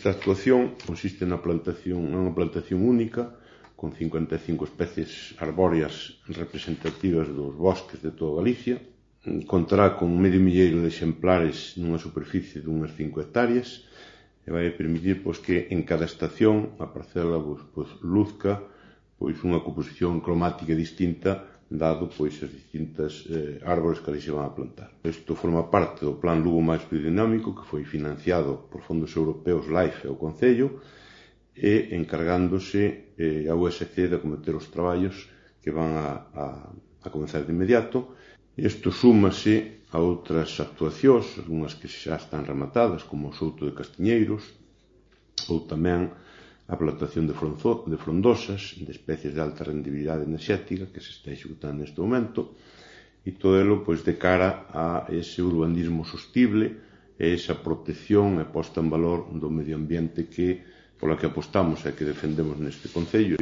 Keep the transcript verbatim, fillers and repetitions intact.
Esta actuación consiste na plantación, unha plantación única con cincuenta e cinco especies arbóreas representativas dos bosques de toda Galicia. Contará con medio milleiro de exemplares nunha superficie dunhas cinco hectáreas e vai permitir pois, que en cada estación a parcela pois, pois, luzca pois, unha composición cromática distinta dado pois, as distintas eh, árbores que ali se van a plantar. Isto forma parte do Plan Lugo máis biodinámico que foi financiado por fondos europeos LIFE e o Concello e encargándose eh, a U S C de acometer os traballos que van a, a, a comenzar de inmediato. Isto súmase a outras actuacións, algunhas que xa están rematadas, como o Souto de Castiñeiros, ou tamén a plantación de, fronzo, de frondosas, de especies de alta rendibilidade enerxética que se está executando neste momento, e todo elo pois, de cara a ese urbanismo sostible e esa protección e posta en valor do medio ambiente que pola que apostamos e que defendemos neste Concello.